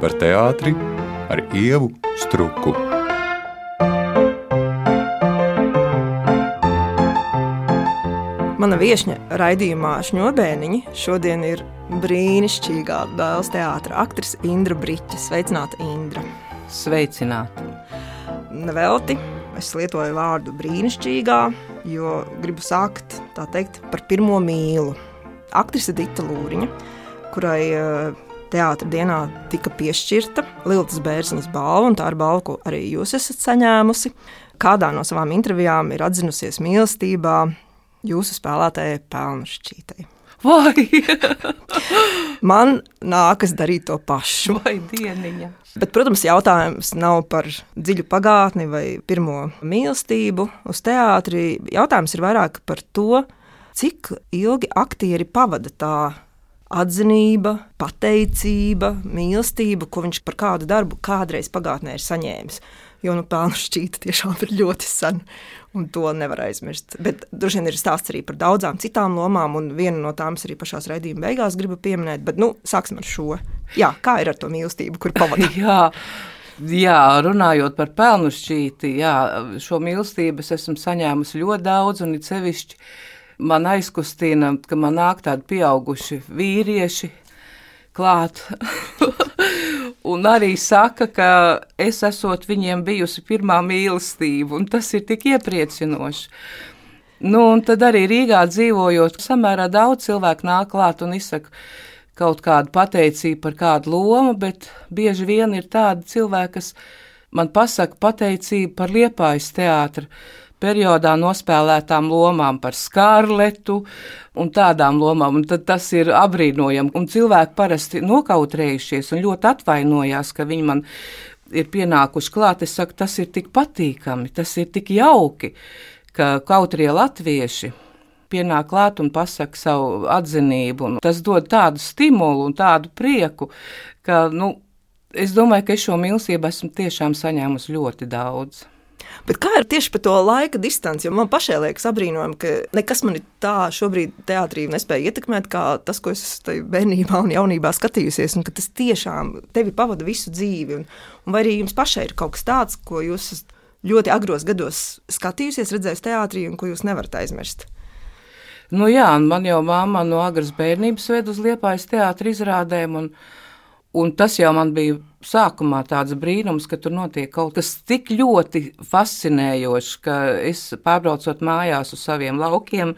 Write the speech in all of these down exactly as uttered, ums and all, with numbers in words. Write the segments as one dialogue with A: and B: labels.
A: par teātri ar Ievu Struku.
B: Mana viešņa raidījumā Šņurbēniņi šodien ir brīnišķīgā Dēls teātra aktrise Indra Briķe. Sveicināta, Indra!
C: Sveicināta!
B: Nevelti es lietoju vārdu brīnišķīgā, jo gribu sākt, tā teikt, par pirmo mīlu. Aktrise Dita Lūriņa, kurai teātra dienā tika piešķirta Liltas Bērziņas balva, un tā ir balva, ko arī jūs esat saņēmusi. Kādā no savām intervijām ir atzinusies mīlestībā jūsu spēlētājai Pelnušķītei.
C: Vai!
B: Man nākas darīt to pašu.
C: Vai dieniņa!
B: Bet, protams, jautājums nav par dziļu pagātni vai pirmo mīlestību uz teātri. Jautājums ir vairāk par to, cik ilgi aktieri pavada tā atzinība, pateicība, mīlestība, ko viņš par kādu darbu kādreiz pagātnē ir saņēmis. Jo nu, Pelnušķīta tiešām ir ļoti sen, un to nevar aizmirst. Bet droši vien ir stāsts arī par daudzām citām lomām, un viena no tām arī pašās raidījuma beigās gribu pieminēt. Bet nu, sāksim ar šo. Jā, kā ir ar to mīlestību, kur pavada?
C: jā, jā, runājot par Pelnušķīti, jā, šo mīlestību es esmu saņēmusi ļoti daudz, un it sevišķi man aizkustina, ka man nāk tādi pieauguši vīrieši klāt. Un arī saka, ka es esot viņiem bijusi pirmā mīlestība, un tas ir tik iepriecinoši. Nu, un tad arī Rīgā dzīvojot, samērā daudz cilvēku nāk klāt un izsaka kaut kādu pateicību par kādu lomu, bet bieži vien ir tādi cilvēki, kas man pasaka pateicību par Liepājas teātra periodā nospēlētām lomām, par Skarletu un tādām lomām, un tad tas ir apbrīnojami. Un cilvēki parasti nokautrējušies un ļoti atvainojās, ka viņi man ir pienākuši klāt. Es saku, tas ir tik patīkami, tas ir tik jauki, ka kautrie latvieši pienāk klāt un pasaka savu atzinību. Un tas dod tādu stimulu un tādu prieku, ka, nu, es domāju, ka es šo mīlestību esmu tiešām saņēmusi ļoti daudz.
B: Bet kā ir tieši par to laika distanci? Jo man pašai liekas apbrīnojami, ka nekas mani tā šobrīd teātrī nespēja ietekmēt, kā tas, ko es bērnībā un jaunībā skatījusies, un ka tas tiešām tevi pavada visu dzīvi. Un, un vai arī jums pašai ir kaut kas tāds, ko jūs ļoti agros gados skatījusies, redzējis teātrī un ko jūs nevarat aizmirst?
C: Nu jā, man jau mamma no agras bērnības ved uz Liepājas teātra izrādēm, un Un tas jau man bija sākumā tāds brīnums, ka tur notiek kaut kas tik ļoti fascinējošs, ka es, pārbraucot mājās uz saviem laukiem,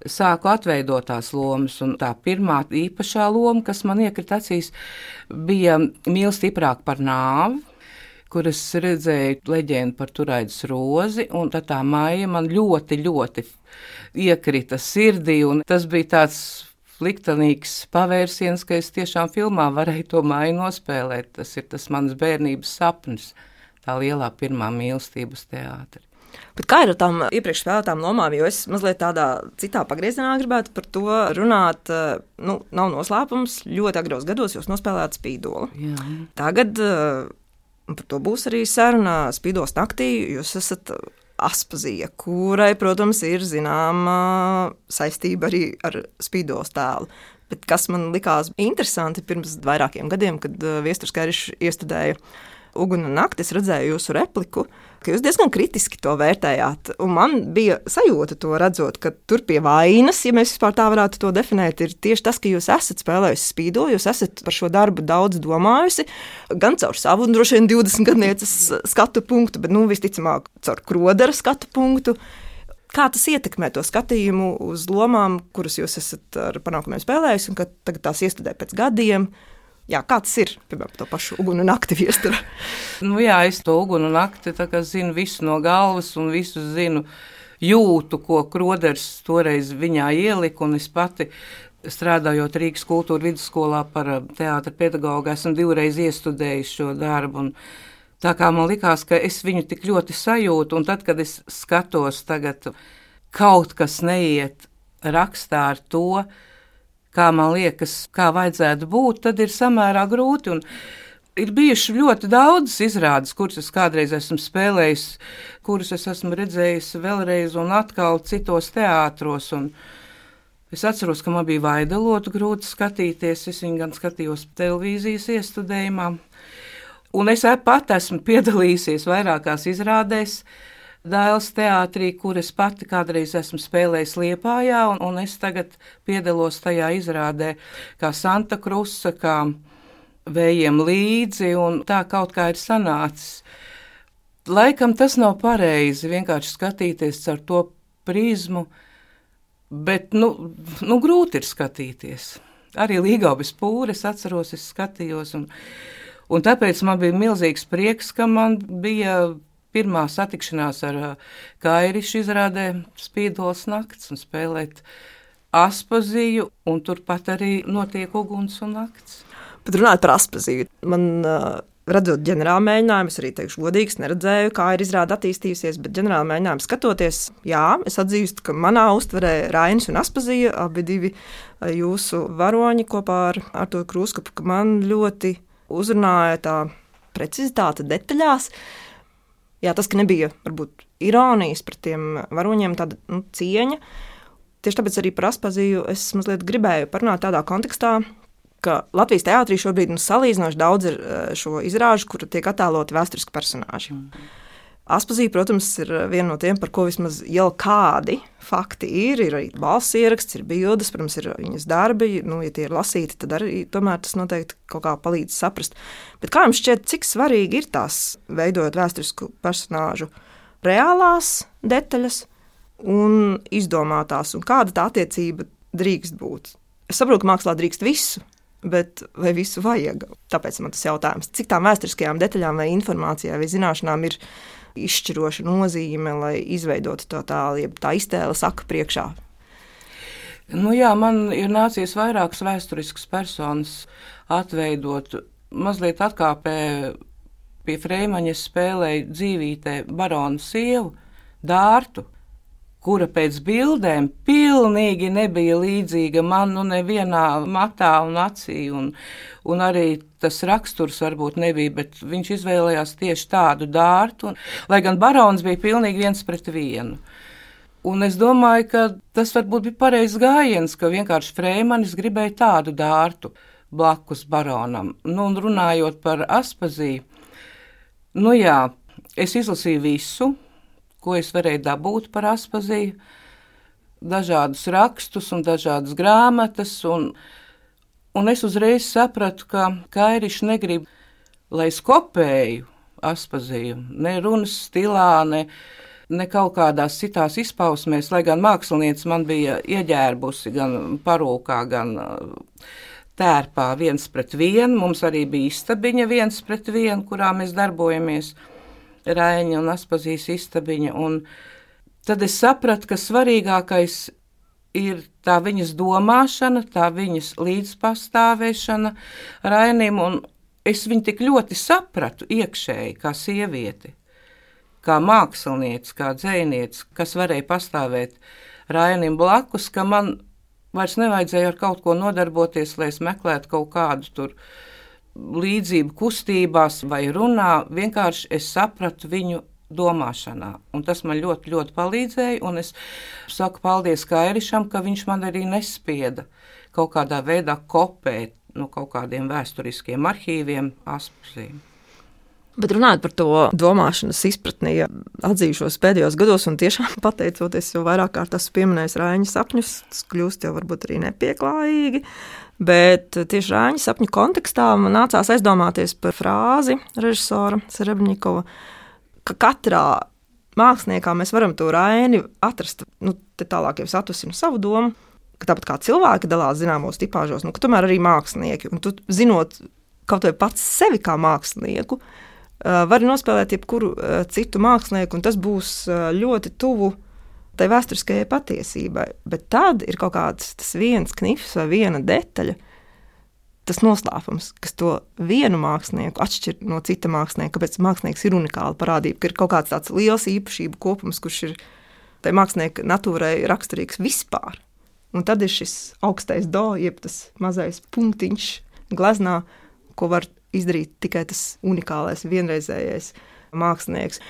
C: sāku atveidot tās lomas. Un tā pirmā īpašā loma, kas man iekrita acīs, bija Mīl stiprāk par nāvi, kur es redzēju leģendu par Turaidas rozi, un tad tā Maija man ļoti, ļoti iekrita sirdī, un tas bija tāds liktenīgs pavērsiens, ka es tiešām filmā varēju to Maiju nospēlēt. Tas ir tas mans bērnības sapnis, tā lielā pirmā mīlestība uz teātri.
B: Bet kā ir ar tām iepriekš spēlētām lomām, jo es mazliet tādā citā pagriezienā gribētu par to runāt. Nu, nav noslēpums, ļoti agros gados jūs nospēlējāt Spīdoli.
C: Jā.
B: Tagad, par to būs arī saruna, Spīdoles naktī jūs esat Aspazija, kurai, protams, ir zināma saistība arī ar Spīdoles tēlu. Bet kas man likās interesanti pirms vairākiem gadiem, kad Viesturs Kerišs iestudēja Uguna nakti, es redzēju jūsu repliku, ka jūs diezgan kritiski to vērtējāt. Un man bija sajūta to redzot, ka tur pie vainas, ja mēs vispār tā varētu to definēt, ir tieši tas, ka jūs esat spēlējusi Spīdoli, jūs esat par šo darbu daudz domājusi, gan caur savu, droši vien divdesmit gadnieces skatu punktu, bet nu visticamāk caur Krodera skatu punktu. Kā tas ietekmē to skatījumu uz lomām, kuras jūs esat ar panākumiem spēlējusi, un ka tagad tās iestudē pēc gadiem? Jā, kā tas ir, piemēram, to pašu Ugunu nakti Viestura?
C: Nu jā, es to Ugunu nakti tā kā zinu visu no galvas un visu zinu jūtu, ko Kroders toreiz viņā ielika, un es pati strādājot Rīgas kultūra vidusskolā par teātra pedagogu, esmu divreiz iestudējis šo darbu, un tā kā man likās, ka es viņu tik ļoti sajūtu, un tad, kad es skatos tagad, kaut kas neiet rakstā ar to, kā man liekas, kā vajadzētu būt, tad ir samērā grūti. Un ir bijuši ļoti daudz izrādes, kuras es kādreiz esmu spēlējis, kuras es esmu redzējis vēlreiz un atkal citos teātros. Un Es atceros, ka man bija Vaidalotu grūti skatīties, es viņu gan skatījos televīzijas iestudējumā, un es pat esmu piedalījusies vairākās izrādēs Dailes teātrī, kur es pati kādreiz esmu spēlējis Liepājā, un, un es tagad piedalos tajā izrādē kā Santa Krusa, kā Vējiem līdzi, un tā kaut kā ir sanācis. Laikam tas nav pareizi vienkārši skatīties ar to prizmu, bet, nu, nu grūti ir skatīties. Arī Līgaubes pūri, es atceros, es skatījos, un, un tāpēc man bija milzīgs prieks, ka man bija pirmā satikšanās ar Kairišu izrādē Spīdoles nakts un spēlēt Aspaziju, un turpat arī notiek Uguns un nakts.
B: Bet runājot par Aspaziju, man uh, redzot ģenerāla mēģinājumu, es arī teikšu godīgi, es neredzēju, kā ir izrāde attīstījusies, bet ģenerāla mēģinājumu skatoties, jā, es atzīstu, ka manā uztverē Rainis un Aspazija, abi divi jūsu varoņi kopā ar Arturu Krūskapu, ka man ļoti uzrunāja tā precizitāte detaļās. Jā, tas, ka nebija varbūt ironijas pret tiem varoņiem, tāda nu, cieņa. Tieši tāpēc arī par Aspaziju es mazliet gribēju parunāt tādā kontekstā, ka Latvijas teātrī šobrīd nu, salīdzinoši daudz ir šo izrāžu, kur tiek attēloti vēsturiski personāži. Mm. Aspazija, protams, ir viena no tiem, par ko vismaz jau kādi fakti ir. Ir arī balss ieraksts, ir bildes, protams, ir viņas darbi. Nu, ja tie ir lasīti, tad arī tomēr tas noteikti kaut kā palīdz saprast. Bet kā jums šķiet, cik svarīgi ir tās, veidojot vēsturisku personāžu, reālās detaļas un izdomātās, un kāda tā attiecība drīkst būt? Es saprotu, ka mākslā drīkst visu, bet vai visu vajag? Tāpēc man tas jautājums, cik tām vēsturiskajām detaļām vai informācijai vai zināšanām ir izšķiroša nozīme, lai izveidotu to tālu, ja tā iztēle saka priekšā?
C: Nu jā, man ir nācies vairākas vēsturiskas personas atveidot. Mazliet atkāpē pie Freimaņa spēlēju dzīvītē baronu sievu, Dārtu, kura pēc bildēm pilnīgi nebija līdzīga man, nu nevienā matā un acī, un, un arī tas raksturs varbūt nebija, bet viņš izvēlējās tieši tādu Dārtu, un, lai gan barons bija pilnīgi viens pret vienu. Un es domāju, ka tas varbūt bija pareizs gājiens, ka vienkārši Freimanis gribēja tādu Dārtu blakus baronam. Nu, un runājot par Aspaziju, nu jā, es izlasīju visu, ko es varēju dabūt par Aspaziju, dažādus rakstus un dažādas grāmatas, un, un es uzreiz sapratu, ka Kairišs negrib, lai es kopēju Aspaziju, ne runas stilā, ne, ne kaut kādās citās izpausmēs, lai gan mākslinieci man bija ieģērbusi gan parūkā, gan tērpā viens pret vienu, mums arī bija istabiņa viens pret vienu, kurā mēs darbojamies, Raiņa un Aspazijas istabiņa, un tad es sapratu, ka svarīgākais ir tā viņas domāšana, tā viņas līdzpastāvēšana Rainim, un es viņu tik ļoti sapratu iekšēji kā sievieti, kā mākslinieci, kā dzejnieci, kas varēja pastāvēt Rainim blakus, ka man vairs nevajadzēja ar kaut ko nodarboties, lai es meklētu kaut kādu tur līdzību kustībās vai runā, vienkārši es sapratu viņu domāšanā, un tas man ļoti, ļoti palīdzēja, un es saku paldies Kairišam, ka viņš man arī nespieda kaut kādā veidā kopēt no kaut kādiem vēsturiskiem arhīviem Aspaziju.
B: Bet runājot par to domāšanas izpratni, ja atzīšos pēdējos gados, un tiešām pateicoties jau vairāk kārt esmu pieminējis Raiņa sapņus, tas kļūst jau varbūt arī nepieklājīgi, bet tieši Raiņa sapņu kontekstā man nācās aizdomāties par frāzi režisora Serebņikova, ka katrā māksliniekā mēs varam to Raini atrast, nu, te tālāk jau es atvesinu savu domu, ka tāpat kā cilvēki dalās zināmos tipāžos, nu, ka tomēr arī mākslinieki, un tu zinot kaut vai pats sevi kā mākslinieku, var nospēlēt jebkuru citu mākslinieku, un tas būs ļoti tuvu tai vēsturiskajai patiesībai. Bet tad ir kaut kāds tas viens knifs vai viena detaļa, tas noslēpums, kas to vienu mākslinieku atšķir no cita mākslinieka, kāpēc mākslinieks ir unikāla parādība, ka ir kaut kāds tāds liels īpašību kopums, kurš ir tai mākslinieka natūrai raksturīgs vispār. Un tad ir šis augstais do, jeb tas mazais punktiņš gleznā, ko var izdarīt tikai tas unikālais, vienreizējais mākslinieks.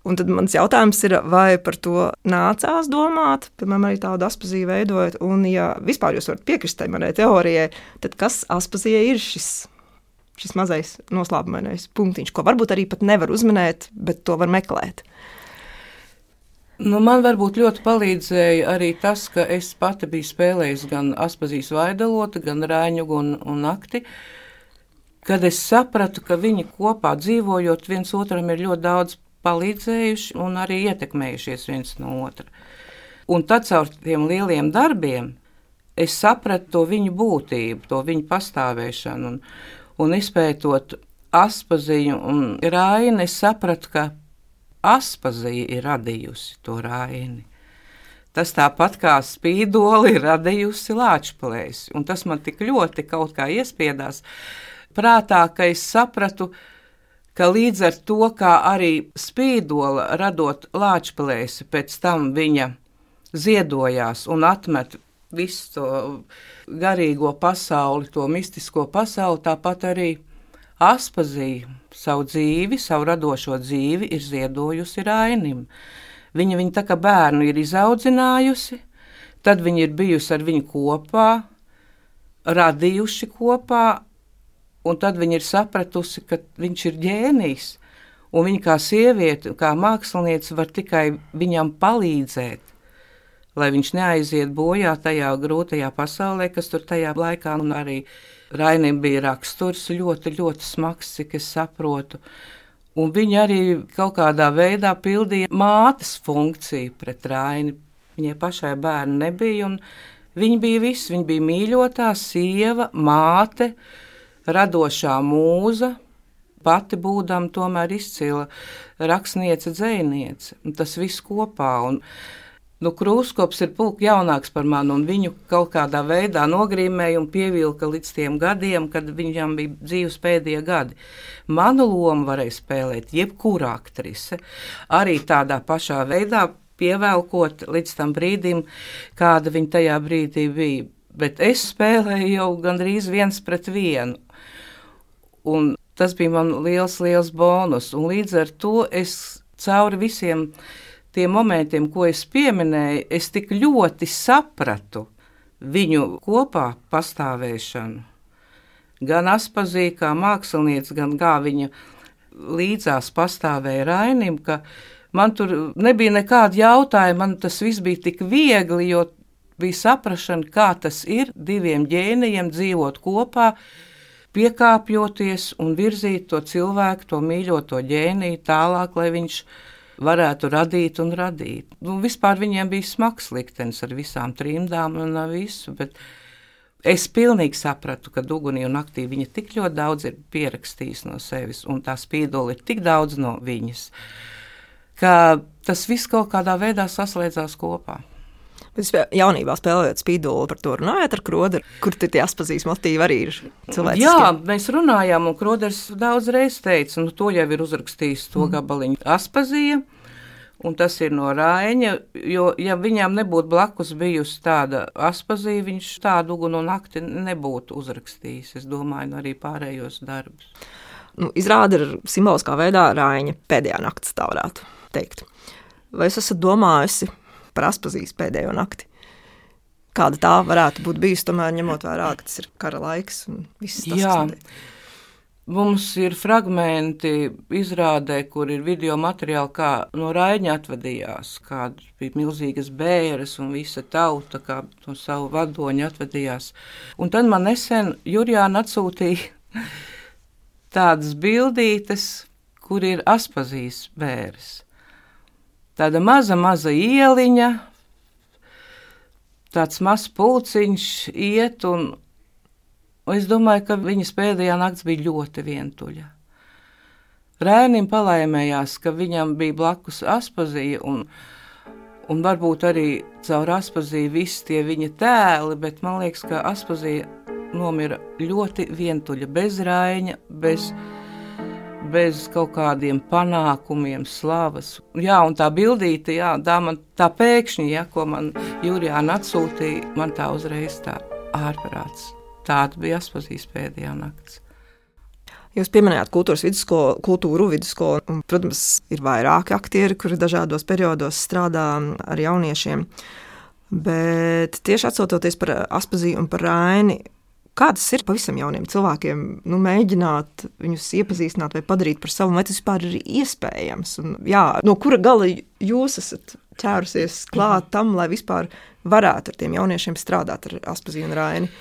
B: Un tad mans jautājums ir, vai par to nācās domāt, piemēram, arī tādu Aspazīju veidojot, un ja vispār jūs varat piekrist tai manai teorijai, tad kas Aspazijai ir šis, šis mazais noslēpumainais punktiņš, ko varbūt arī pat nevar uzminēt, bet to var meklēt?
C: Nu, man varbūt ļoti palīdzēja arī tas, ka es pati biju spēlējis gan Aspazijas Vaidalotu, gan Raiņugu un, un Nakti, kad es sapratu, ka viņi kopā dzīvojot viens otram ir ļoti daudz palīdzējuši un arī ietekmējušies viens no otra. Un tad caur tiem lieliem darbiem es sapratu to viņu būtību, to viņu pastāvēšanu. Un, un izpētot Aspaziju un Raini, es sapratu, ka Aspazija ir radījusi to Raini. Tas tāpat kā Spīdoli ir radījusi Lāčplēsi. Un tas man tik ļoti kaut kā iespiedās prātā, ka es sapratu, ka līdz ar to, kā arī Spīdola radot Lāčplēsi, pēc tam viņa ziedojās un atmet visu to garīgo pasauli, to mistisko pasauli, tāpat arī Aspazija savu dzīvi, savu radošo dzīvi ir ziedojusi Rainim. Viņa viņu tā kā bērnu ir izaudzinājusi, tad viņa ir bijusi ar viņu kopā, radījuši kopā, un tad viņa ir sapratusi, ka viņš ir ģēnijs, un viņa kā sieviete, kā māksliniece var tikai viņam palīdzēt, lai viņš neaiziet bojā tajā grūtajā pasaulē, kas tur tajā laikā, un arī Rainim bija raksturs ļoti, ļoti smags, cik es saprotu. Un viņa arī kaut kādā veidā pildīja mātes funkciju pret Raini. Viņai pašai bērni nebija, un viņa bija viss, viņa bija mīļotā sieva, māte, radošā mūza, pati būdama tomēr izcila rakstniece, dzejniece. Un tas viss kopā. Un, nu, Krūskops ir pulk jaunāks par mani, un viņu kaut kādā veidā nogrīmēja un pievilka līdz tiem gadiem, kad viņam bija dzīves pēdējie gadi. Manu lomu varēja spēlēt jebkura aktrise, arī tādā pašā veidā pievelkot līdz tam brīdim, kāda viņa tajā brīdī bija. Bet es spēlēju jau gandrīz viens pret vienu. Un tas bija man liels, liels bonus. Un līdz ar to es cauri visiem tiem momentiem, ko es pieminēju, es tik ļoti sapratu viņu kopā pastāvēšanu. Gan Aspazija kā māksliniece, gan kā viņa līdzās pastāvēja Rainim, ka man tur nebija nekāda jautājuma, man tas viss bija tik viegli, jo bija saprašana, kā tas ir diviem ģēnijiem dzīvot kopā, piekāpjoties un virzīt to cilvēku, to mīļoto ģēniju tālāk, lai viņš varētu radīt un radīt. Nu, vispār viņiem bija smags liktenis ar visām trimdām un visu, bet es pilnīgi sapratu, ka Ugunī un Naktī viņa tik ļoti daudz ir pierakstījis no sevis, un tā Spīdola ir tik daudz no viņas, ka tas viss kaut kādā veidā saslēdzās kopā.
B: Bet jaunībā spēlējot Spīdoli, par to runājāt ar Kroderu, kur tie Aspazijas motīvi arī ir cilvēciskie?
C: Jā, mēs runājām, un Kroders daudz reiz teica, nu to jau ir uzrakstījis to mm. gabaliņu Aspazija, un tas ir no Raiņa, jo ja viņām nebūtu blakus bijusi tāda Aspazija, viņš tādu Ugunu un Nakti nebūtu uzrakstījis, es domāju, arī pārējos darbus.
B: Nu, izrāda ir simboliskā veidā Raiņa pēdējā nakts, tā varētu teikt. Vai es esat domājusi par Aspazijas pēdējo nakti? Kāda tā varētu būt bijusi, tomēr ņemot vērā, ka tas ir kara laiks un viss tas,
C: Jā.
B: kas
C: Mums ir fragmenti izrādē, kur ir video materiāli, kā no Raiņa atvadījās, kādas bija milzīgas bēres un visa tauta, kā no savu vadoņu atvadījās. Un tad man nesen Jurijāna atsūtīja tādas bildītes, kur ir Aspazijas bēres. Tāda maza, maza ieliņa, tāds mazs pulciņš iet, un es domāju, ka viņas pēdējā nakts bija ļoti vientuļa. Rainim palaimējās, ka viņam bija blakus Aspazija, un, un varbūt arī caur Aspaziju visi tie viņa tēli, bet man liekas, ka Aspazija nomira ļoti vientuļa, bez Raiņa, bez... bez kaut kādiem panākumiem, slavas. Jā, un tā bildīte, jā, tā, man, tā pēkšņi, ja, ko man Jurijāna atsūtīja, man tā uzreiz tā ārprāts. Tāda bija Aspazijas pēdējā nakts.
B: Jūs pieminējāt kultūras vidusskolu, kultūru vidusskolu, un, protams, ir vairāki aktieri, kuri dažādos periodos strādā ar jauniešiem. Bet tieši atcaucoties par Aspaziju un par Raini, kādas ir pavisam jauniem cilvēkiem, nu, mēģināt viņus iepazīstināt vai padarīt par savu, vai tas vispār ir iespējams? Un, jā, no kura gala jūs esat ķērusies klāt tam, lai vispār varētu ar tiem jauniešiem strādāt ar Aspaziju un Raini?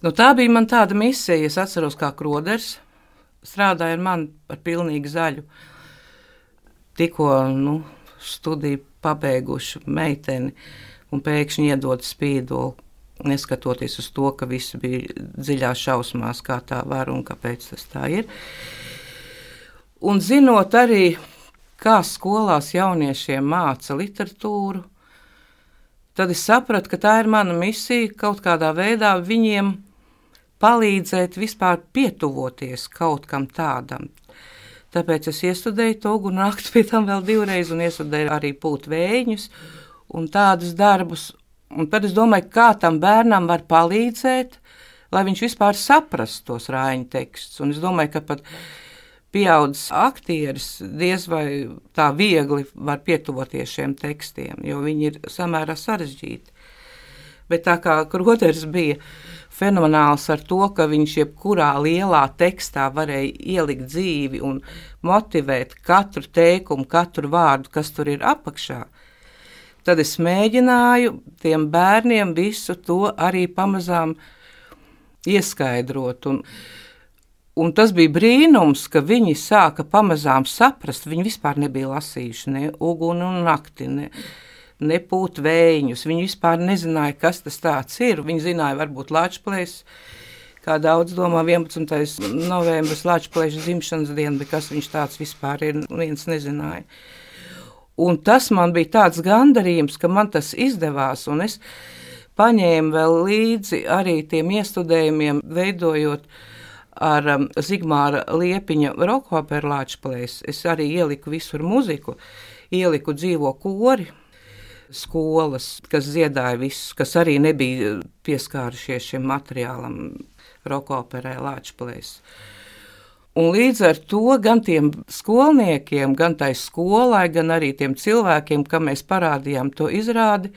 C: Nu, tā bija man tāda misija. Es atceros, kā Kroders strādāja ar mani par pilnīgi zaļu. Tikko nu, studiju pabeigušu meiteni un pēkšņi iedod spīdolu, neskatoties uz to, ka visi bija dziļās šausmās, kā tā var un kāpēc tas tā ir. Un zinot arī, kā skolās jauniešiem māca literatūru, tad es sapratu, ka tā ir mana misija kaut kādā veidā viņiem palīdzēt vispār pietuvoties kaut kam tādam. Tāpēc es iestudēju to uguni nakti pie tam vēl divreiz un iestudēju arī pūt vējiņus un tādus darbus. Un tad es domāju, kā tam bērnam var palīdzēt, lai viņš vispār saprast tos Raiņa tekstus. Un es domāju, ka pat pieaudzis aktieris diez vai tā viegli var pietuvoties šiem tekstiem, jo viņi ir samērā sarežģīti. Bet tā kā Kroders bija fenomenāls ar to, ka viņš jebkurā lielā tekstā varēja ielikt dzīvi un motivēt katru teikumu, katru vārdu, kas tur ir apakšā, tad es mēģināju tiem bērniem visu to arī pamazām ieskaidrot. Un, un tas bija brīnums, ka viņi sāka pamazām saprast, viņi vispār nebija lasījuši ne uguni un nakti, ne, ne pūt vējiņus. Viņi vispār nezināja, kas tas tāds ir. Viņi zināja varbūt Lačplēs, kā daudz domā vienpadsmitais novembris Lačplēša dzimšanas diena, bet kas viņš tāds vispār ir, viens nezināja. Un tas man bija tāds gandarījums, ka man tas izdevās, un es paņēmu vēl līdzi arī tiem iestudējumiem, veidojot ar um, Zigmāra Liepiņa rokoperu Lačplēs. Es arī ieliku visur muziku, ieliku dzīvo kori, skolas, kas dziedāja visus, kas arī nebija pieskārušies šim materiālam rokoperē Lačplēs. Un līdz ar to gan tiem skolniekiem, gan tai skolai, gan arī tiem cilvēkiem, kam mēs parādījām to izrādi,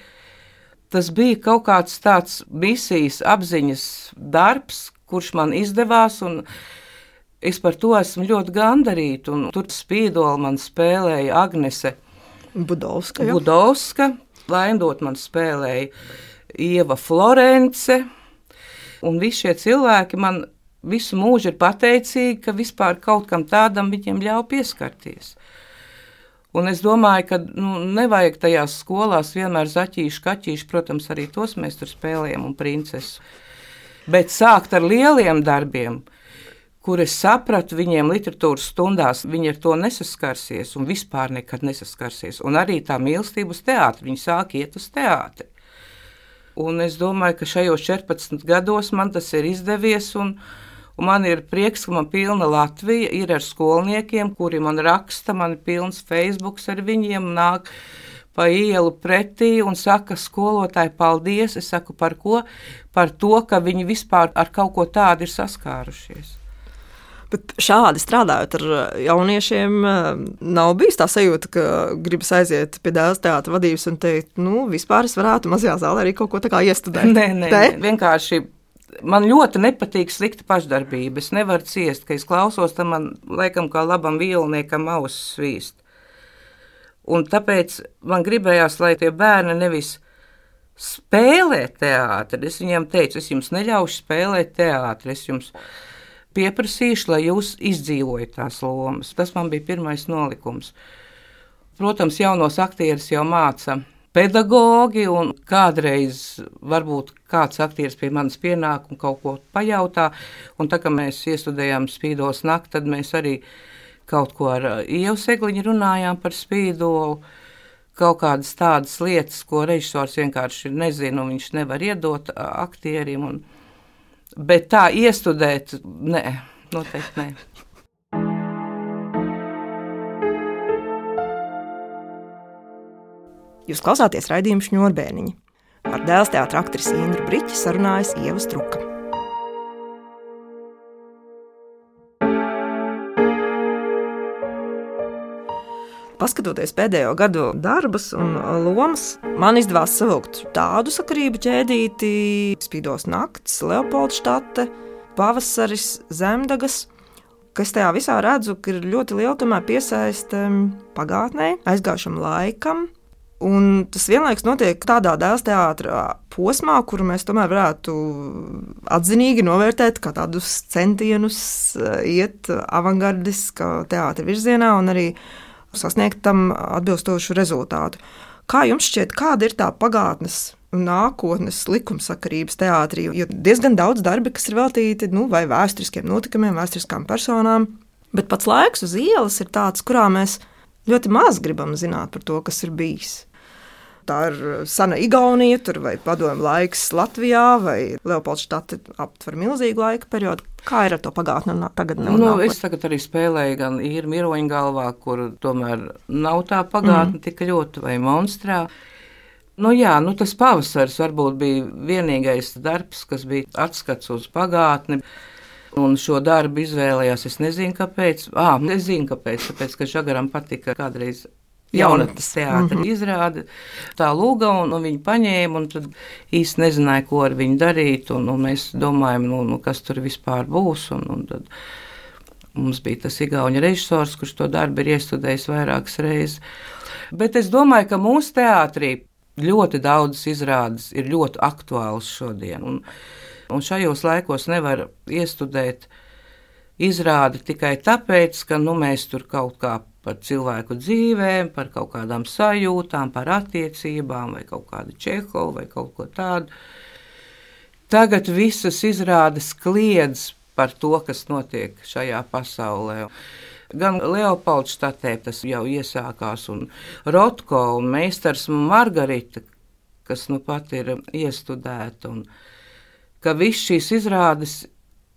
C: tas bija kaut kāds tāds misijas apziņas darbs, kurš man izdevās, un es par to esmu ļoti gandarīta. Un tur spīdoli man spēlēja Agnese
B: Budovska,
C: Budovska, Laindot man spēlēja Ieva Florence, un visi šie cilvēki man visu mūžu ir pateicīgi, ka vispār kaut kam tādam viņiem ļauj pieskarties. Un es domāju, ka nu, nevajag tajās skolās vienmēr zaķīšu, kaķīšu, protams, arī tos mēs tur spēlējam un princesu. Bet sākt ar lieliem darbiem, kur es sapratu, viņiem literatūras stundās, viņi ar to nesaskarsies un vispār nekad nesaskarsies. Un arī tā mīlestība uz teātri, viņi sāk iet uz teātri. Un es domāju, ka šajos četrpadsmit gados man tas ir izdevies, un, un man ir prieks, ka man pilna Latvija ir ar skolniekiem, kuri man raksta, man ir pilns Facebooks ar viņiem, nāk pa ielu pretī un saka, skolotāji, paldies. Es saku, par ko? Par to, ka viņi vispār ar kaut ko tādu ir saskārušies.
B: Bet šādi strādājot ar jauniešiem, nav bijis tā sajūta, ka gribas aiziet pie Dēls teātra vadības un teikt, nu, vispār es varētu mazajā zālē arī kaut ko tā kā iestudēt.
C: Nē, nē, nē, vienkārši man ļoti nepatīk slikta pašdarbība. Es nevaru ciest, ka es klausos, tam man laikam kā labam violniekam ausis svīst. Un tāpēc man gribējās, lai tie bērni nevis spēlē teātri. Es viņiem teicu, es jums neļaušu spēlēt teātri, es jums pieprasīšu, lai jūs izdzīvojat tās lomas. Tas man bija pirmais nolikums. Protams, jaunos aktierus jau māca pedagogi, un kādreiz varbūt kāds aktieris pie manis pienāk un kaut ko pajautā, un tā kā mēs iestudējām Spīdoles nakti, tad mēs arī kaut ko ar Ievu Segliņu runājām par spīdolu, kaut kādas tādas lietas, ko režisors vienkārši nezina, un viņš nevar iedot aktierim, un bet tā iestudēt, nē, noteikti nē.
B: Jūs klausāties raidījumu Šņurbēniņi. Ar Dēls teātra aktrisi Indru Briķi sarunājas Ieva Struka. Paskatoties pēdējo gadu darbus un lomas, man izdevās savilkt tādu sakarību ķēdīti, Spīdos nakts, Leopoldštate, Pavasaris, Zemdagas, ka es tajā visā redzu, ka ir ļoti liela tomēr piesaiste pagātnē, aizgājušam laikam. Un tas vienlaikus notiek tādā dēls teātra posmā, kuru mēs tomēr varētu atzinīgi novērtēt kā tādus centienus iet avangardiskā teātra virzienā un arī sasniegt tam atbilstošu rezultātu. Kā jums šķiet, kāda ir tā pagātnes un nākotnes likumsakarības teātrī? Jo diezgan daudz darbi, kas ir veltīti nu, vai vēsturiskiem notikumiem, vēsturiskām personām, bet pats laiks uz ielas ir tāds, kurā mēs ļoti maz gribam zināt par to, kas ir bijis. Tā ir sena Igaunija, tur vai padomju laiks Latvijā, vai Leopoldštate aptver milzīgu laika periodu. Kā ir ar to pagātni un tagadni?
C: Nu, es tagad arī spēlēju gan Īru Miroņgalvā, kur tomēr nav tā pagātne mm. tik ļoti, vai Monstrā. Nu jā, nu tas Pavasaris varbūt bija vienīgais darbs, kas bija atskats uz pagātni. Un šo darbu izvēlējās, es nezinu, kāpēc. Ā, es zinu, kāpēc, tāpēc, ka Žagaram patika kādreiz jaunatnes teātra mm-hmm. izrāde. Tā lūga, un, un viņi paņēma, un tad īsti nezināja, ko ar viņu darīt, un, un mēs domājam, nu, nu, kas tur vispār būs, un, un tad mums bija tas igauņu režisors, kurš to darbu ir iestudējis vairākas reizes. Bet es domāju, ka mūsu teātrī ļoti daudzas izrādes ir ļoti aktuālas šodien, un Un šajos laikos nevar iestudēt izrādi tikai tāpēc, ka nu, mēs tur kaut kā par cilvēku dzīvēm, par kaut kādām sajūtām, par attiecībām, vai kaut kādu Čehovu, vai kaut ko tādu. Tagad visas izrādes kliedz par to, kas notiek šajā pasaulē. Gan Leopoldštatē tas jau iesākās, un Rotko, un meistars Margarita, kas nu pat ir iestudēta, un ka viss šīs izrādes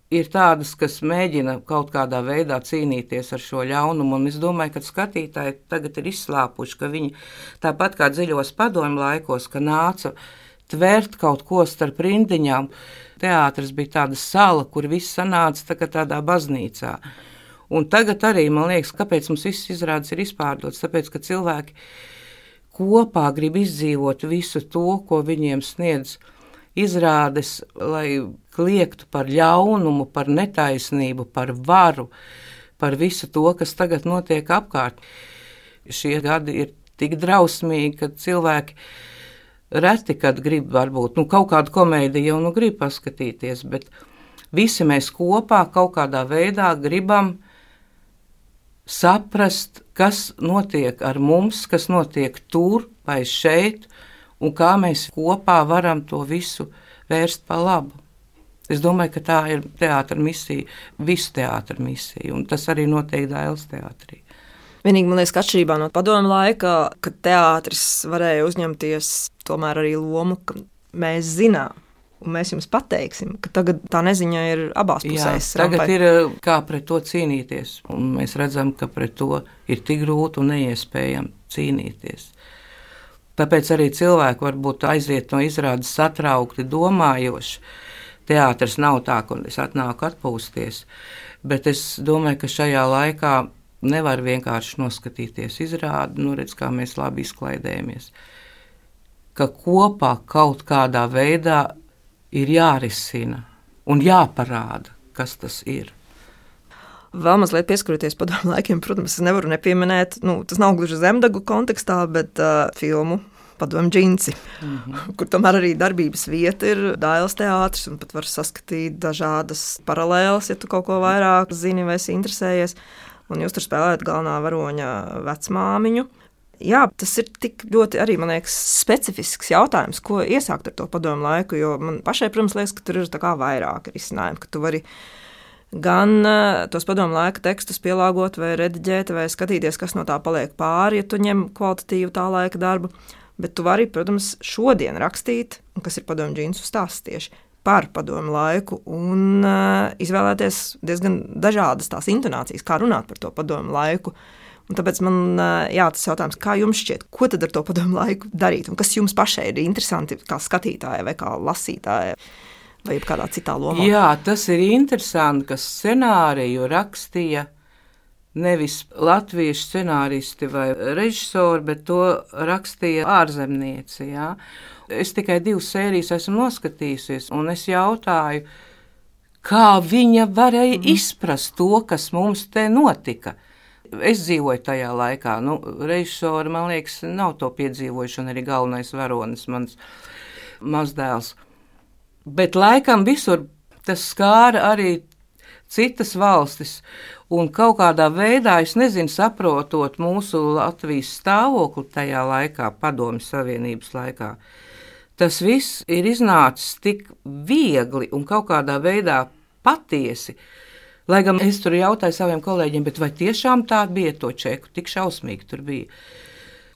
C: ir tādas, kas mēģina kaut kādā veidā cīnīties ar šo ļaunumu, un es domāju, ka skatītāji tagad ir izslāpuši, ka viņi tāpat kā dziļos padomju laikos, ka nāca tvērt kaut ko starp rindiņām. Teātris bija tāda sala, kur viss sanāca tā kā tādā baznīcā. Un tagad arī, man liekas, kāpēc mums viss izrādes ir izpārdots, tāpēc, ka cilvēki kopā grib izdzīvot visu to, ko viņiem sniedz izrādes, lai kliegtu par ļaunumu, par netaisnību, par varu, par visu to, kas tagad notiek apkārt. Šie gadi ir tik drausmīgi, ka cilvēki reti, kad grib varbūt, nu kaut kādu komēdiju jau nu grib paskatīties, bet visi mēs kopā kaut kādā veidā gribam saprast, kas notiek ar mums, kas notiek tur vai šeit, un kā mēs kopā varam to visu vērst pa labu. Es domāju, ka tā ir teātra misija, visu teātra misija, un tas arī notiek Dailes teātrī.
B: Vienīgi, man liekas, ka atšķirībā no padomju laika, kad teātris varēja uzņemties tomēr arī lomu, ka mēs zinām, un mēs jums pateiksim, ka tagad tā neziņa ir abās pusēs.
C: Jā, tagad ir kā pret to cīnīties, un mēs redzam, ka pret to ir tik grūti un neiespējami cīnīties. Tāpēc arī cilvēki varbūt aiziet no izrādes satraukti, domājoši. Teātris nav tā, ka es atnāku atpūsties, bet es domāju, ka šajā laikā nevar vienkārši noskatīties izrādi, nu redz, kā mēs labi izklaidējamies. Ka kopā kaut kādā veidā ir jārisina un jāparāda, kas tas ir.
B: Vēl mazliet pieskaroties padomju laikiem, protams, es nevaru nepieminēt, nu, tas nav gluži Zemdagu kontekstā, bet uh, filmu Padomju džinsi, mm-hmm. kur tomēr arī darbības vieta ir Dailes teātris, un pat var saskatīt dažādas paralēles, ja tu kaut ko vairāk zini vai esi interesējies, un jūs tur spēlējat galvenā varoņa vecmāmiņu. Jā, tas ir tik ļoti arī, man liekas, specifisks jautājums, ko iesākt ar to padomju laiku, jo man pašai, protams, liekas, ka tur ir tā kā vairāk risinājumi, ka tu vari gan uh, tos padomu laika tekstus pielāgot vai rediģēt, vai skatīties, kas no tā paliek pāri, ja tu ņem kvalitatīvu tā laika darbu, bet tu vari, protams, šodien rakstīt, kas ir padomu džinsu stāsts tieši par padomu laiku un uh, izvēlēties diezgan dažādas tās intonācijas, kā runāt par to padomu laiku. Un tāpēc man uh, jā, tas jautājums, kā jums šķiet, ko tad ar to padomu laiku darīt, un kas jums pašai ir interesanti kā skatītāja vai kā lasītāja? Vai kādā citā lomā?
C: Jā, tas ir interesanti, ka scenāriju rakstīja nevis latviešu scenāristi vai režisori, bet to rakstīja ārzemnieci. Ja? Es tikai divas sērijas esmu noskatījusies, un es jautāju, kā viņa varēja mm. izprast to, kas mums te notika. Es dzīvoju tajā laikā, nu, režisori, man liekas, nav to piedzīvojuši, un arī galvenais varonis, mans mazdēls. Bet laikam visur tas skāra arī citas valstis, un kaut kādā veidā, es nezinu, saprotot mūsu Latvijas stāvokli tajā laikā, Padomju Savienības laikā, tas viss ir iznācis tik viegli un kaut kādā veidā patiesi. Lai gan es tur jautāju saviem kolēģiem, bet vai tiešām tā bija to čeku, tik šausmīgi tur bija.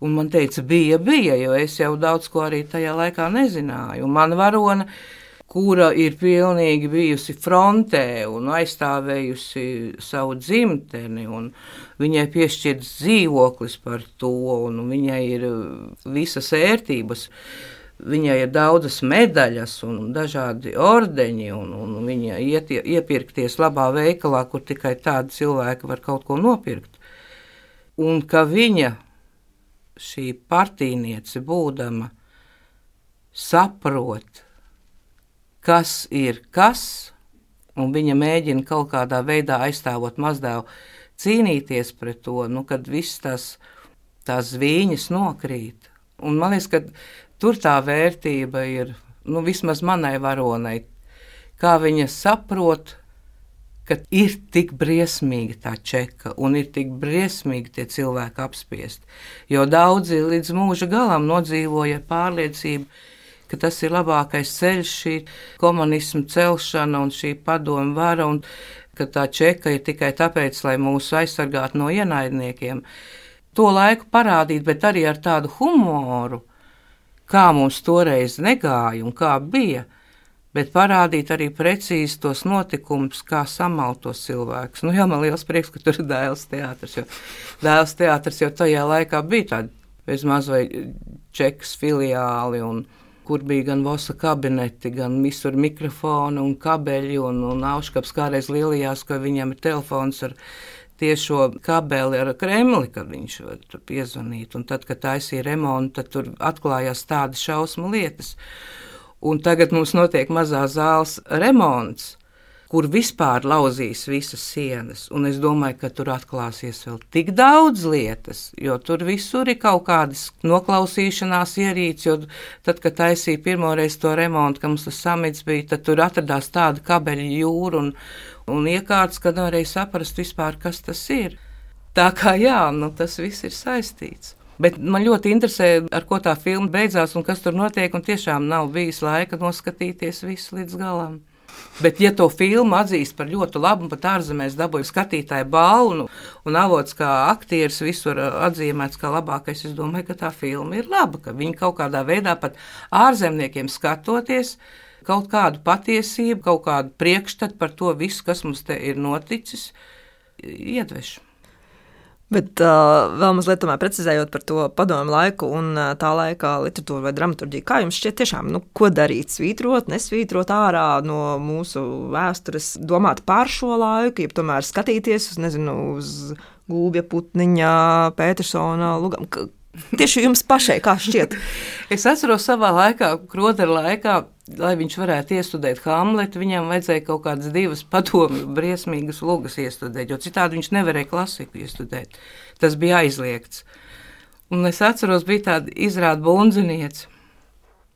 C: Un man teica, bija, bija, jo es jau daudz ko arī tajā laikā nezināju. Un man varona, kura ir pilnīgi bijusi frontē un aizstāvējusi savu dzimteni, un viņai piešķirts dzīvoklis par to, un viņai ir visas ērtības. Viņai ir daudzas medaļas un dažādi ordeņi, un, un viņa iet iepirkties labā veikalā, kur tikai tādi cilvēki var kaut ko nopirkt. Un ka viņa, šī partīniece būdama, saprot, kas ir kas, un viņa mēģina kaut kādā veidā aizstāvot mazdēlu cīnīties pret to, nu, kad viss tās, tās zvīņas nokrīt. Un man liekas, ka tur tā vērtība ir, nu, vismaz manai varonai, kā viņa saprot, ka ir tik briesmīga tā čeka un ir tik briesmīgi tie cilvēki apspiesti. Jo daudzi līdz mūža galam nodzīvoja ar pārliecību, ka tas ir labākais ceļš, šī komunisma celšana un šī padomu vara, un ka tā čeka ir tikai tāpēc, lai mūs aizsargātu no ienaidniekiem. To laiku parādīt, bet arī ar tādu humoru, kā mums toreiz negāja un kā bija, bet parādīt arī precīzi tos notikumus, kā samalt tos cilvēkus. Nu jā, man liels prieks, ka tur ir Dēls teātris, jo Dēls teātris jau tajā laikā bija tādi bez maz vai čekas filiāli, un kur bija gan vosa kabineti, gan visur mikrofoni un kabeļi, un, un Auškaps kādreiz lielījās, ka viņam ir telefons ar tiešo kabeli ar Kremli, kad viņš var tur piezvanīt, un tad, kad taisīja remontu, tad tur atklājās tādas šausmu lietas. Un tagad mums notiek mazā zāles remonts, kur vispār lauzīs visas sienas, un es domāju, ka tur atklāsies vēl tik daudz lietas, jo tur visur ir kaut kādas noklausīšanās ierīces, jo tad, kad taisīja pirmoreiz to remontu, ka mums tas samits bija, tad tur atradās tāda kabeļa jūra un, un iekārts, kad nevarēja saprast vispār, kas tas ir. Tā kā jā, nu tas viss ir saistīts. Bet man ļoti interesē, ar ko tā filma beidzās un kas tur notiek, un tiešām nav bijis laika noskatīties visu līdz galam. Bet, ja to filmu atzīst par ļoti labu, un pat ārzemēs dabūja skatītāju balvu, un avots kā aktieris visur atzīmēts kā labākais, es domāju, ka tā filma ir laba, ka viņi kaut kādā veidā pat ārzemniekiem skatoties, kaut kādu patiesību, kaut kādu priekšstatu par to visu, kas mums te ir noticis, iedveš.
B: Bet uh, vēl mazliet tomēr precizējot par to padomu laiku un uh, tā laika literatūru vai dramaturģiju, kā jums šķiet tiešām, nu, ko darīt, svītrot, nesvītrot ārā no mūsu vēstures, domāt par šo laiku, jeb tomēr skatīties uz, nezinu, uz Gulbja, Putniņa, Petersona, Lugam, tieši jums pašai, kā šķiet?
C: Es atceros savā laikā, Krodera laikā, lai viņš varētu iestudēt Hamletu, viņam vajadzēja kaut kādas divas padomju briesmīgas lugas iestudēt, jo citādi viņš nevarēja klasiku iestudēt. Tas bija aizliegts. Un es atceros, bija tāda izrāda bundziniece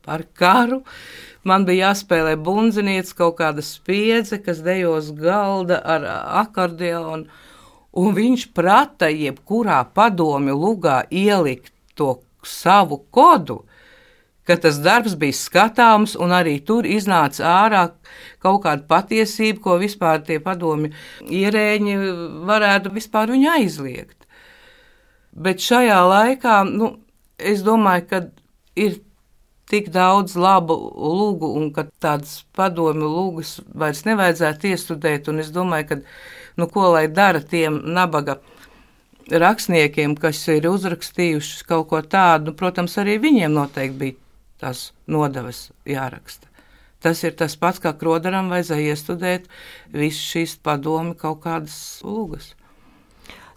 C: par karu. Man bija jāspēlē bundziniece, kaut kāda spiedze, kas dejos galda ar akordeonu, un viņš prata jebkurā padomju lugā ielikt to savu kodu, ka tas darbs bija skatāms, un arī tur iznāca ārā kaut kāda patiesība, ko vispār tie padomju ierēģi varētu vispār viņu aizliegt. Bet šajā laikā, nu, es domāju, ka ir tik daudz labu lugu, un ka tādas padomju lugas vairs nevajadzētu iestudēt, un es domāju, ka, nu, ko lai dara tiem nabaga rakstniekiem, kas ir uzrakstījuši kaut ko tādu, nu, protams, arī viņiem noteikti bija tās nodevas jāraksta. Tas ir tas pats, kā Kroderam vajadzēja iestudēt visu šīs padomi kaut kādas lūgas.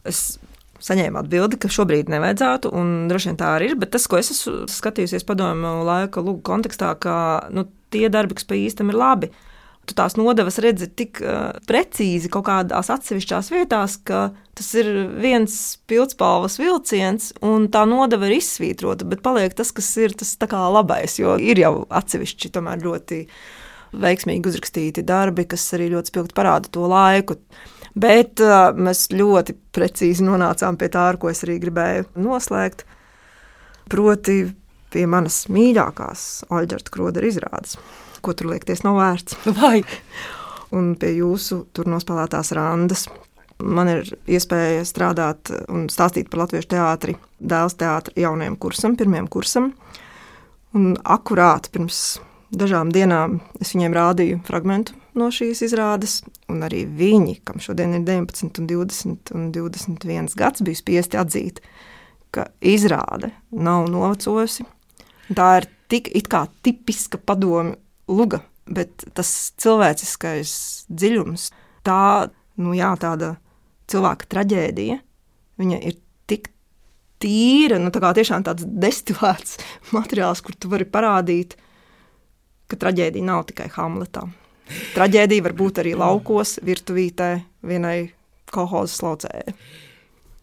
B: Es saņēmu atbildi, ka šobrīd nevajadzētu, un droši vien tā arī ir, bet tas, ko es esmu skatījusies padomju laika lūgu kontekstā, ka nu, tie darbi, kas pa īstam ir labi, tu tās nodevas redzi tik uh, precīzi kaut kādās atsevišķās vietās, ka tas ir viens pildspalvas vilciens, un tā nodeva ir izsvītrota, bet paliek tas, kas ir tas tā kā labais, jo ir jau atsevišķi tomēr ļoti veiksmīgi uzrakstīti darbi, kas arī ļoti spilgti parāda to laiku. Bet uh, mēs ļoti precīzi nonācām pie tā, ar ko es arī gribēju noslēgt, proti pie manas mīļākās Oļģerta Krodera izrādes, ko tur liekties nav vērts.
C: Vai?
B: Un pie jūsu tur nospēlētās randas. Man ir iespēja strādāt un stāstīt par latviešu teātri, Dēls teātra jaunajam kursam, pirmajam kursam. Un akurāt pirms dažām dienām es viņiem rādīju fragmentu no šīs izrādes, un arī viņi, kam šodien ir deviņpadsmit un divdesmit un divdesmit viens gads, bija spiesti atzīt, ka izrāde nav novecojusi. Tā ir tik it kā tipiska padomju luga, bet tas cilvēciskais dziļums, tā, nu jā, tāda cilvēka traģēdija, viņa ir tik tīra, nu tā kā tiešām tāds destilēts materiāls, kur tu vari parādīt, ka traģēdija nav tikai Hamletā. Traģēdija var būt arī laukos, virtuvītē, vienai kolhozas laucējai.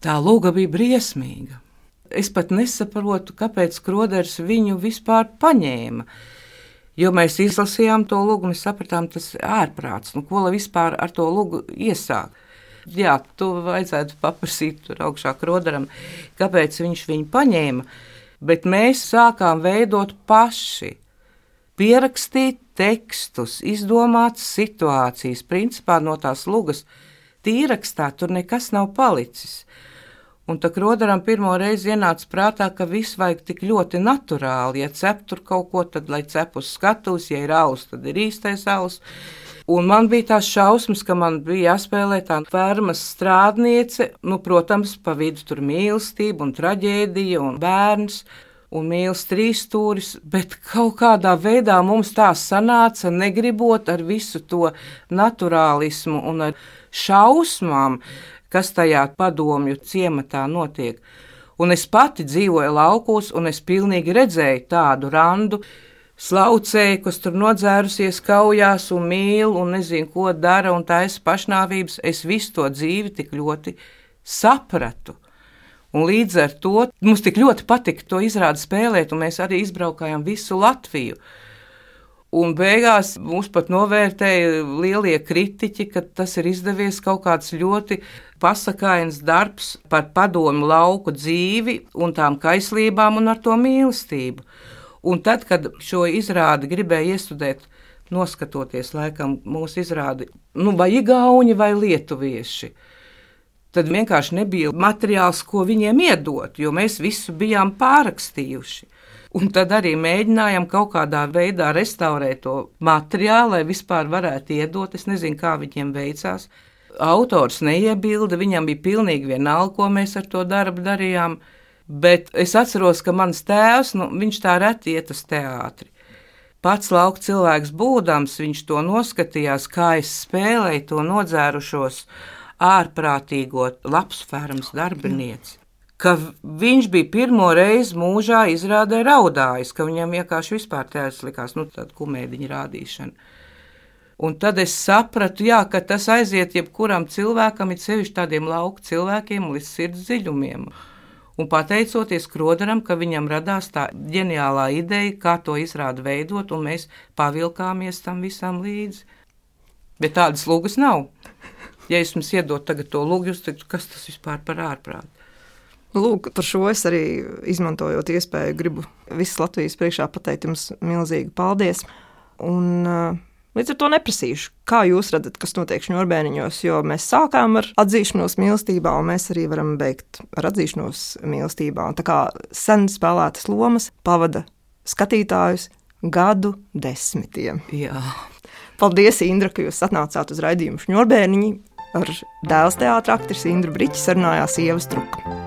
C: Tā luga bija briesmīga. Es pat nesaprotu, kāpēc Kroders viņu vispār paņēma. Jo mēs izlasījām to lugu, mēs sapratām, tas ir ārprāts. Nu, ko lai vispār ar to lugu iesāk? Jā, tu vajadzētu paprasīt tur augšā Kroderam, kāpēc viņš viņu paņēma. Bet mēs sākām veidot paši. Pierakstīt tekstus, izdomāt situācijas, principā no tās lugas tīrakstā tur nekas nav palicis. Un tā Kroderam pirmo reizi ienāca prātā, ka viss vajag tik ļoti naturāli. Ja cep tur kaut ko, tad lai cep uz skatuves, ja ir alus, tad ir īstais alus. Un man bija tās šausmas, ka man bija jāspēlē tā fermas strādniece, nu, protams, pa vidu tur mīlestība un traģēdija un bērns. Un mīls trīsstūris, bet kaut kādā veidā mums tā sanāca, negribot ar visu to naturālismu un ar šausmām, kas tajā padomju ciematā notiek. Un es pati dzīvoju laukos, un es pilnīgi redzēju tādu randu, slaucēju, kas tur nodzērusies kaujās un mīl, un nezinu, ko dara, un taisa pašnāvības. Es visu to dzīvi tik ļoti sapratu. Un līdz ar to mums tik ļoti patika to izrādi spēlēt, un mēs arī izbraukājām visu Latviju. Un beigās mūs pat novērtēja lielie kritiķi, ka tas ir izdevies kaut kāds ļoti pasakains darbs par padomju lauku dzīvi un tām kaislībām un ar to mīlestību. Un tad, kad šo izrādi gribēja iestudēt, noskatoties laikam mūsu izrādi, nu vai igauņi vai lietuvieši, tad vienkārši nebija materiāls, ko viņiem iedot, jo mēs visu bijām pārrakstījuši. Un tad arī mēģinājām kaut kādā veidā restaurēt to materiālu, lai vispār varētu iedot. Es nezinu, kā viņiem veicās. Autors neiebilda, viņam bija pilnīgi vienalga, ko mēs ar to darbu darījām. Bet es atceros, ka mans tēvs, nu, viņš tā reti iet uz teātri. Pats lauka cilvēks būdams, viņš to noskatījās, kā es spēlēju to nodzērušos ārprātīgo lapsfermas darbinieci, ka viņš bija pirmo reizi mūžā izrādē raudājis, ka viņam vienkārši vispār tēvs likās, nu, tāda kumēdiņa rādīšana. Un tad es sapratu, jā, ka tas aiziet jebkuram cilvēkam, it sevišķi tādiem lauku cilvēkiem līdz sirds dziļumiem. Un pateicoties Kroderam, ka viņam radās tā ģeniālā ideja, kā to izrādi veidot, un mēs pavilkāmies tam visam līdzi. Bet tādas lugas nav. Ja es jums iedot tagad to lūgu, jūs teiktu, kas tas vispār par ārprātu?
B: Lūk, par šo es arī izmantojot iespēju, gribu visas Latvijas priekšā pateikt jums milzīgi paldies. Un līdz ar to neprasīšu, kā jūs redzat, kas notiek Šņurbēniņos, jo mēs sākām ar atzīšanos mīlestībā, un mēs arī varam beigt ar atzīšanos mīlestībā. Un tā kā sen spēlētas lomas pavada skatītājus gadu desmitiem.
C: Jā.
B: Paldies, Indra, ka jūs atnācāt uz raidījumu Šņurbēniņi. Ar Dēls teātra aktrisi Indru Briķi sarunājās Ieva Struka.